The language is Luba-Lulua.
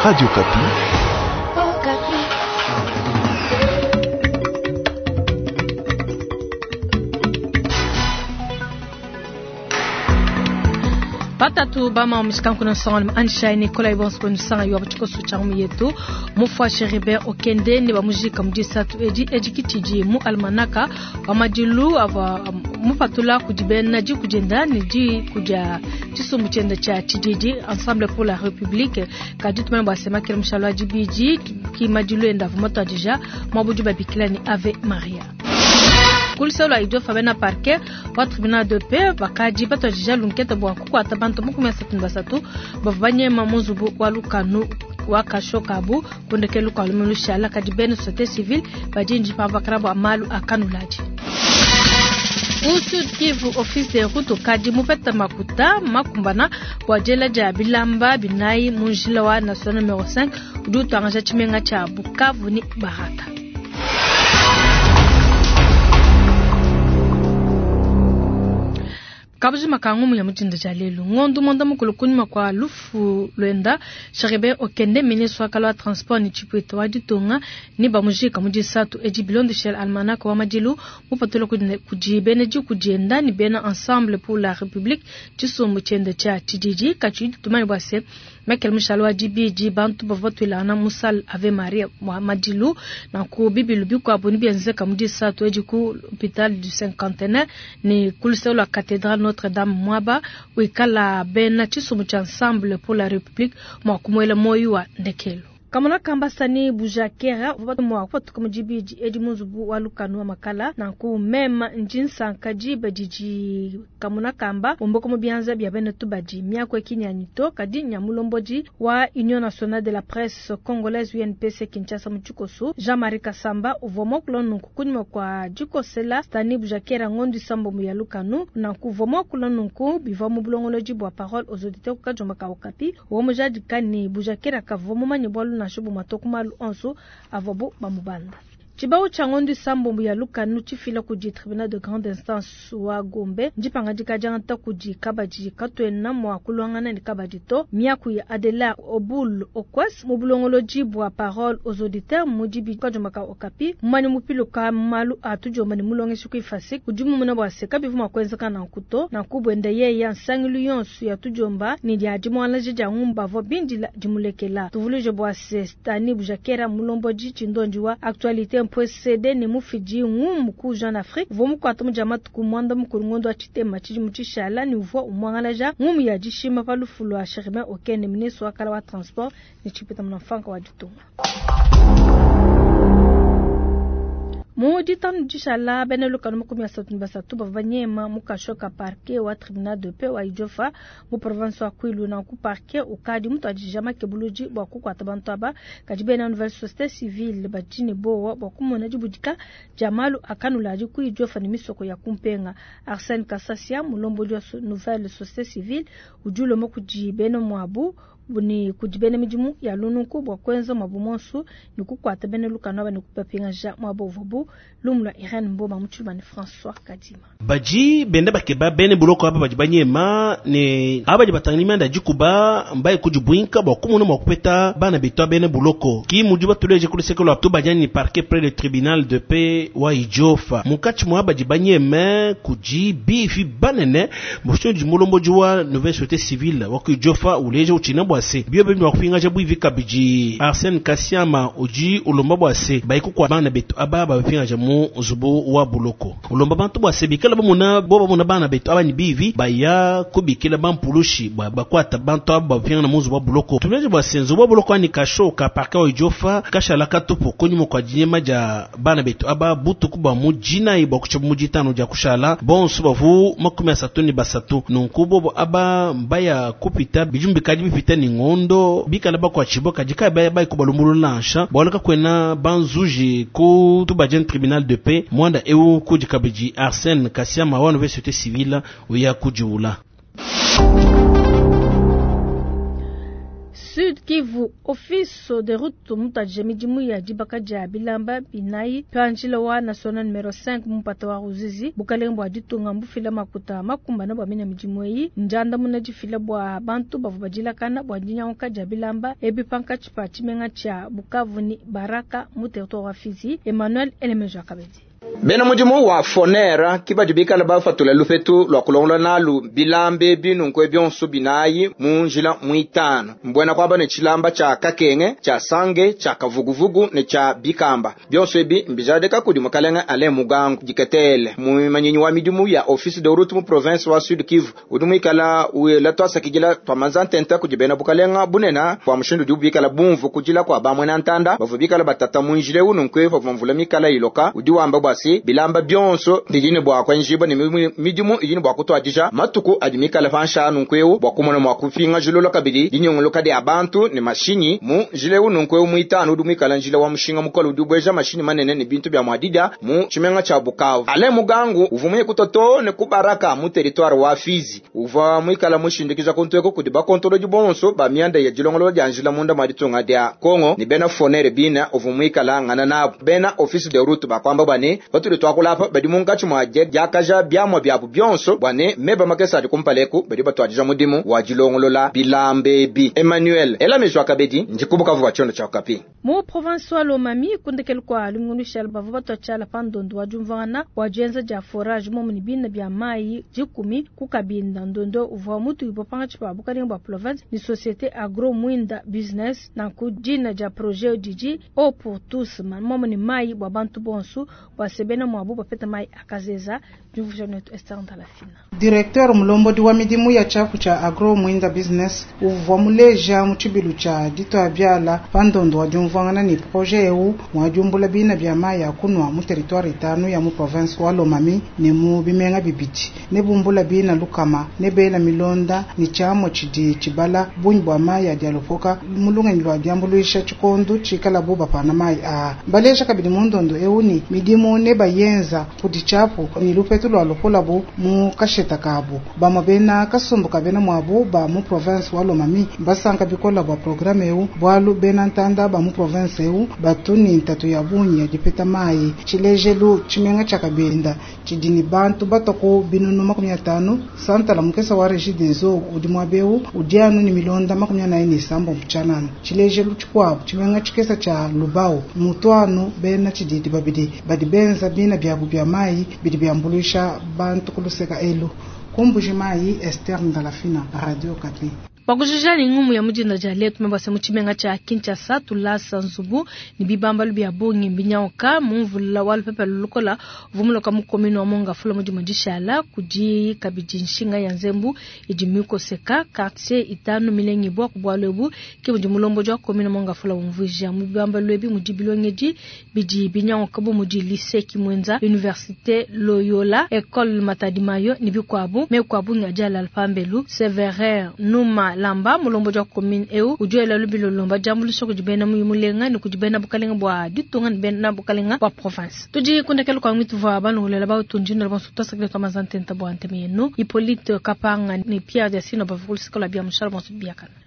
Radio Okapi. Batatu bama omishikanku nsonga Anshai Nikolai bonso nsanga yo tshikoso tsha mu yetu mufua Cherubin Okende ne bamujika mu disatu edi edikitidi mu almanaka wa madilu ava mupatula kudi bena diku dienda ne diku dia tshisumbu tshienda tshia tshididi Ensemble pour la République. Kadi tumanye bua semakela mushalo wa dibidi ki madilu enda avua matuadija muabudi babikila ne Ave Maria. Kuluselo lua Idiofa bena parquet wa tribunal de paix bakadi batuadija lunketa bua kukuata bantu 33 bavua banyema mu nzubu wa lukanu wa kasho kabu kundekelu kua lumu lushala. Kadi bena société civile badi ndipambakana bua malu a kanuladi. Ku Sud Kivu, office de route ukadi mupeta makuta makumbana bua diela dia bilamba binayi mu njila wa national numero 5 udi utuangaja tshimenga tshia Bukavu ne Baraka. Kabujima ka ngumu ya mutinda dia lelu ngondo mwanda mukulu kunyima kwa lufu lwenda Cherubin Okende ministre wa kala wa transport ni tshipwita wa ditunga ni bamujika mu disatu edi bilondeshela almanach wa madilu mupatula kudi bena diku dienda ni bena Ensemble pour la République tshisumbu tshienda tshia tshididi katshi tumanye bua se Michael Mushalo wa dibidi bantu bavua batuilangana mu salle Ave Maria wa madilu nanku bibilu bikuabu ni bienzeka mu disatu edi ku hôpital du cinquantenaire ni ku luseke lua cathédrale Notre-Dame mwaba wikala bena tshisumbu tshia Ensemble pour la République mua kumuela moyo wa ndekelo. Kamona kamba sani bujakera uvua mua kupatuka mu dibidi edi mu nzubu wa lukanu wa makala nanku mema ndi nsanka diba didi kamona kamba umbuka mu bianza bia bena tubadi miako ekinyanyi to kadi nyamulombodi wa Union Nationale de la Presse Congolaise UNPC Kinshasa mu tshikoso Jean-Marie Kasamba uvua muakula nunku kunyima kua dikosela Stani Bujakera ngondo isambombo ya lukanu nanku uvua muakula nunku bivua mu bulongolodi bua parole aux auditeurs kukajomba ka Okapi uvua mujadika ne Bujakera kavua mumanye bualu nansha bumue to ku malu onso avuabu bamubanda. Tshibau tshia ngondo isambombo ya lukanu tshifila kudi tribunal de grande instance wa Gombe ndipangadika diangata kudi kabadi katuena mua kuluangana ne kabadi to. Miaku ya Adela Obul Okwes mu bulongolodi bua parole aux auditeurs mu dibi kajomba ka Okapi mumanye mupiluka malu a tudiomba ne mulongeshi ku IFASIC udi mumuna bua se kabivu mua kuenzeka nanku to. Nanku buenda yeya nsangilu yonso ya tudiomba ne dia dimuangalaja dia ngumba avua bindila dimulekela. Tuvuluije bua se Stani Bujakera mulombodi tshindondi wa actualité PSD ne mufidi ngumu ku Jeune Afrique uvua mukuata mu dia matuku mwanda mukulu ngondo wa tshitema tshidimu tshishala ne uvua umuangalaja ngumu ya dishima pa lufu lua Cherubin Okende ministre wa kala wa transport ne tshipeta munamfanka wa ditunga. Mu ditanu dishala bena lukanu 33 bavua banyema mu kasho ka parquet wa tribunal de paix wa Idiofa mu province wa Kwilu. Nanku parquet ukadi mutuadija makebuludi bua kukuata bantu aba kadi bena nouvelle société civile badi ne bowa bua kumona dibudika dia malu akanuladi ku Idiofa ne misoko ya kumpenga. Arsène Kasasia mulombodi wa nouvelle société civile udi ulomba kudi bena muabu ni kudi bena midimu ya lununku bua kuenza mwabu monsu ni kukuata bena lukanu aba ni kupapingaja mwabu uvuabu lumu lua Irene Mboma mu tshilumba ne François Kadima. Badi benda bakeba bene buloko aba badi banyema ne aba badi batangila mianda dikuba mbaye kudibwinka bua kumona mua kupeta bana betu bene buloko ki mudi batuleje ku luseke lua tubadiani ni parquet près le tribunal de paix wa Idiofa munkatshi mua badi banyema kudi bivi banene mushindu mulombodi wa nouvelle société civile wa ku Idiofa uleje utshina bua se bio bia kupingaja bwivi kabidi Arsène Kasiama udi ulomba bua se bayiku kwa bana betu aba bapingaja mu nzubu wa buloko ulomba bantu bua se bikala bamuna bo bamuna bana betu aba ni bivi baya kubikila bampulushi bua bakwata bantu aba bapinga mu nzubu wa buloko tuleje bua se nzubu wa buloko ani kasho ka parka wa Idiofa kashala katupu kunyuma kwa dinyema dia bana betu aba butuku bua mu dinayi bua kutsha mu ditano dia kushala bonso bavu 33 nunku bobo aba mbaya kupita bijumbi kadi bipita ni ngondo bikala bakwachibo kadi kai baya bai kubalumbulula nansha bwalaka kwena banzuji ku tubadien tribunal de paix mwanda eu kudi kabidi Arsène Kasiama wa nouvelle société civile uya kujiula. Sud Kivu, Office de route mutuadije midimu ya dibaka dia bilamba binayi pa njila wa national numero 5 mu mpata wa Ruzizi. Bukalenge bua ditunga mbufila makuta makumbana bua mina midimu eyi ndiandamuna difila bua bantu bavua badilakana bua dinyanguka dia bilamba ebi pankatshi pa tshimenga tshia Bukavu ne Baraka mu territoire wa Fizi. Emmanuel Elemejo Akabedi. Bena mudimu wa Foner ki badi bikala bafatula lupetu lwa kulongola nalu bilambe binunkwe bionso binayi mu njila mwitano mbwena kwamba ne tshilamba tsha kakenge tsha sange tsha kavuguvugu ne tsha bikamba bionso ebi mbijadika kudi mukalenga Alain Mugangu diketele mumanyinyi wa midimu ya office de route mu province wa Sud Kivu udi muikala wela twasakidila twamanza ntenta kudi bena bukalenga bunena bua mushindu udi bikala bumvu kudila kwa bamwena ntanda bavua bikala batata mu njila eu nunkwe pavua mvula mikala iloka udi wamba bua se bilamba bionso bidi ne bua kuenjibua ne midimu idi ne bua kutuadija matuku adi mikala panshi nunku bua kumona mua kupingajilula kabidi dinyongoloka dia bantu ne mashinyi mu njila eu nunku muitanu udi muikala njila wa mushinga mukole udi ubueja mashinyi manene ne bintu bia muadidia mu tshimenga tshia Bukavu. Alain Mugangu uvua muye kutoto ne kubaraka mu territoire wa Fizi uvua muikala mushindikiza kuntu kudi bakontolodi bonso ba mianda ya dilongolola dia njila munda mwa ditunga dia Kongo ne bena Foner bina uvua muikala ngana nabo bena office de route bakwamba bane batuli twakulapa badi munkatshi mwa diakaja biamwa biabu bionso bwane meba makesa adi kumpaleku badi batwadija mudimu wa dilongolola bilambe bi. Emmanuel Elamejwa Kabedi ndikubukavu wa tshiondo tshia Okapi. Mu province wa Lomami kundekelu kwa lumingu shala bavua batwa pa ndondo wa diumvuangana wa dienza dia forage momu ne bina bia mayi dikumi ku Kabinda. Ndondo uvua mutuibua pankatshi pa bukalenga bua province ne société agro mwinda business nanku dina dia projet didi eau pour tous momu ne mayi bua bantu bonso bua sebena mwabu bapeta mayi akazeza. Diumvuija netu Esther Ndalafina. Directeur mulombodi wa midimu ya tshiapu tshia agro mwinda business uvua muleja mu tshibilu tshia ditwa biala pa ndondo wa diumvuangana ne projet eu mwa diumbula bina bia mayi ya kunwa mu territoire itanu ya mu province wa Lomami ne mu bimenga bibidi ne bumbula bina lukama ne bela milonda ne tshiamua tshidi tshibala bungi bua mayi adi alopoka mu lungenyi lua diambuluisha tshikondo tshikala bu bapana mayi aa. Baleja kabidi mu ndondo eu ni midimu ne bayenza kudi tshiapu ne lupetu lua lopolabu mu kasheta kabu. Bamue bena kasumbu ka bena muabu ba mu province wa Lomami basanka bikola bua programme eu bualu bena ntanda ba mu province eu batu ni ntatu ya bungi ya dipeta mayi. Tshilejelu tshimenga tshia Kabinda tshidi ni bantu batoko binunu 50 santala mukesa wa Regideso udi muaba eu udi anu ni milonda 47 mutshanana. Tshilejelu tshikuabu tshimenga tshikesa tshia Lubao mutuanu bena tshididi babidi badi benza bina biabu bia mayi bidi biambuluisha bantu kuluseka elu. Kumbuji mayi Esther Ndalafina, Radio Okapi. Bakujija ni ngumu ya mujinda dia letu mabasa mu tshimenga tshia Kinshasa tulasa nzubu ne bibambalu bia bungi mbinyauka mu mvula wa lupepe lukola vumuloka mu commune wa Mongafula mu dimue dishala kudi kabidi nshinga ya nzembu idi mikoseka quartier itanu milengibwa ku bualu ebu ke mudi mulombodi wa commune wa Mongafula umvuija mu bibambalu ebi mudi bilongedi bidi binyauka bu mudi lycée Kimwenza, université Loyola, école Matadi Mayo ne bikuabu mekuabu ngadi alala pambelu Severin Numa Lamba mulombodi wa commune eu udi wela lubilo lomba diambuluisha kudi bena mulenga ne kudi bena bukalenga bua ditunga ne bena bukalenga bua province. Tudi kundekelu kwa mwitu vua balongolela bautundi na bonso twasakile twa mazantenta bua nteme yenu Hippolyte Kapanga ne Pierre Diasino bavua kulusika lua bia mushala bonso biakana.